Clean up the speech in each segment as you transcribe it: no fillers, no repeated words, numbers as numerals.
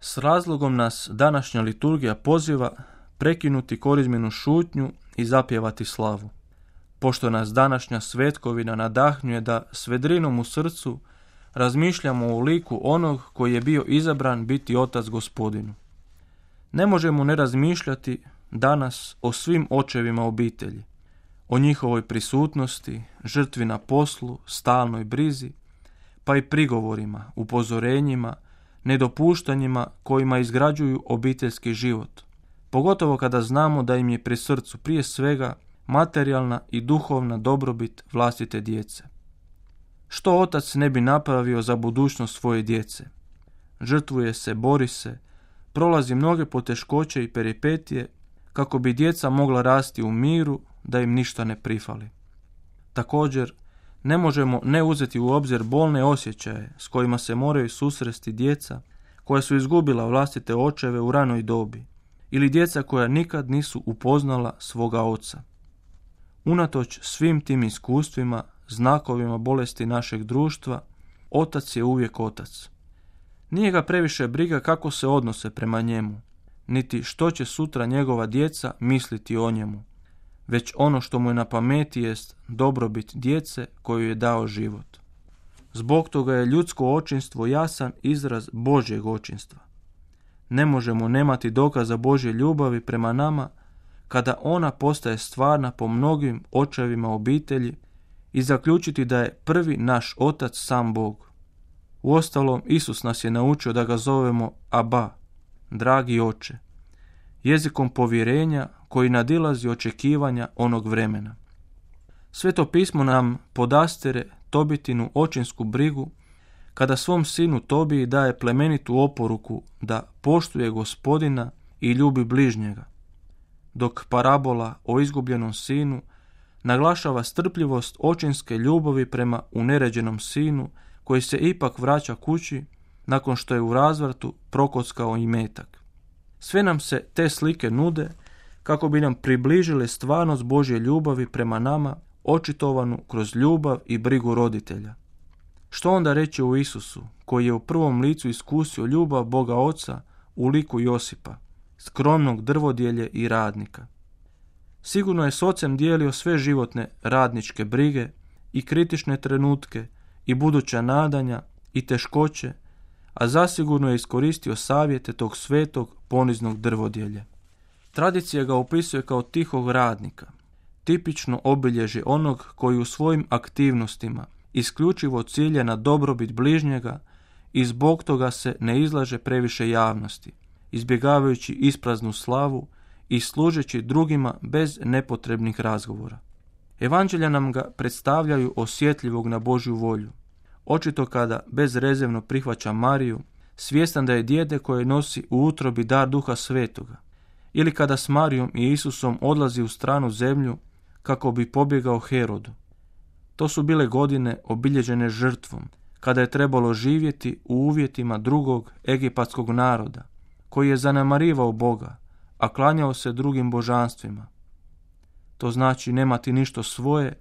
S razlogom nas današnja liturgija poziva prekinuti korizmenu šutnju i zapjevati slavu. Pošto nas današnja svetkovina nadahnjuje da s vedrinom u srcu razmišljamo o liku onog koji je bio izabran biti Otac Gospodinu. Ne možemo ne razmišljati danas o svim očevima obitelji, o njihovoj prisutnosti, žrtvi na poslu, stalnoj brizi, pa i prigovorima, upozorenjima, nedopuštanjima kojima izgrađuju obiteljski život, pogotovo kada znamo da im je pri srcu prije svega materijalna i duhovna dobrobit vlastite djece. Što otac ne bi napravio za budućnost svoje djece? Žrtvuje se, bori se, prolazi mnoge poteškoće i peripetije kako bi djeca mogla rasti u miru, da im ništa ne prifali. Također, ne možemo ne uzeti u obzir bolne osjećaje s kojima se moraju susresti djeca koja su izgubila vlastite očeve u ranoj dobi ili djeca koja nikad nisu upoznala svoga oca. Unatoč svim tim iskustvima, znakovima bolesti našeg društva, otac je uvijek otac. Nije ga previše briga kako se odnose prema njemu, niti što će sutra njegova djeca misliti o njemu, već ono što mu je na pameti jest dobrobit djece koju je dao život. Zbog toga je ljudsko očinstvo jasan izraz Božjeg očinstva. Ne možemo nemati dokaza Božje ljubavi prema nama kada ona postaje stvarna po mnogim očevima obitelji i zaključiti da je prvi naš otac sam Bog. Uostalom, Isus nas je naučio da ga zovemo Aba, dragi oče, jezikom povjerenja koji nadilazi očekivanja onog vremena. Sveto pismo nam podastire Tobitinu očinsku brigu kada svom sinu Tobiji daje plemenitu oporuku da poštuje Gospodina i ljubi bližnjega, dok parabola o izgubljenom sinu naglašava strpljivost očinske ljubavi prema uneređenom sinu koji se ipak vraća kući nakon što je u razvratu prokockao imetak. Sve nam se te slike nude kako bi nam približile stvarnost Božje ljubavi prema nama, očitovanu kroz ljubav i brigu roditelja. Što onda reći o Isusu, koji je u prvom licu iskusio ljubav Boga Oca u liku Josipa, skromnog drvodjelje i radnika? Sigurno je s ocem dijelio sve životne radničke brige i kritične trenutke i buduća nadanja i teškoće, a zasigurno je iskoristio savjete tog svetog poniznog drvodjelja. Tradicija ga opisuje kao tihog radnika, tipično obilježje onog koji u svojim aktivnostima isključivo cilja na dobrobit bližnjega i zbog toga se ne izlaže previše javnosti, izbjegavajući ispraznu slavu i služeći drugima bez nepotrebnih razgovora. Evanđelja nam ga predstavljaju osjetljivog na Božju volju, očito kada bezrezervno prihvaća Mariju, svjestan da je dijete koje nosi u utrobi dar Duha Svetoga, ili kada s Marijom i Isusom odlazi u stranu zemlju kako bi pobjegao Herodu. To su bile godine obilježene žrtvom, kada je trebalo živjeti u uvjetima drugog egipatskog naroda, koji je zanemarivao Boga, a klanjao se drugim božanstvima. To znači nemati ništa svoje,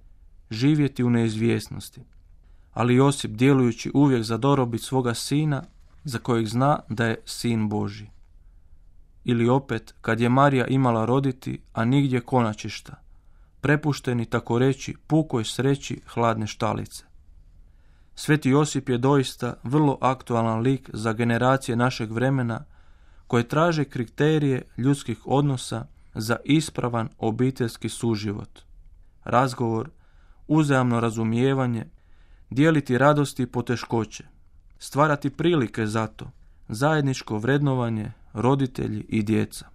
živjeti u neizvjesnosti. Ali Josip, djelujući uvijek za dobrobit svoga sina, za kojeg zna da je sin Božji. Ili opet, kad je Marija imala roditi, a nigdje konačišta, prepušteni tako reći pukoj sreći hladne štalice. Sveti Josip je doista vrlo aktualan lik za generacije našeg vremena koje traže kriterije ljudskih odnosa za ispravan obiteljski suživot, razgovor, uzajamno razumijevanje, dijeliti radosti i poteškoće, stvarati prilike za to, zajedničko vrednovanje, roditelji i djeca.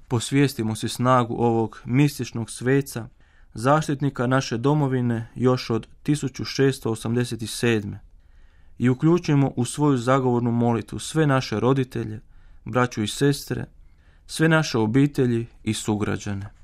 Posvijestimo si snagu ovog mističnog sveca, zaštitnika naše domovine još od 1687. i uključimo u svoju zagovornu molitvu sve naše roditelje, braću i sestre, sve naše obitelji i sugrađane.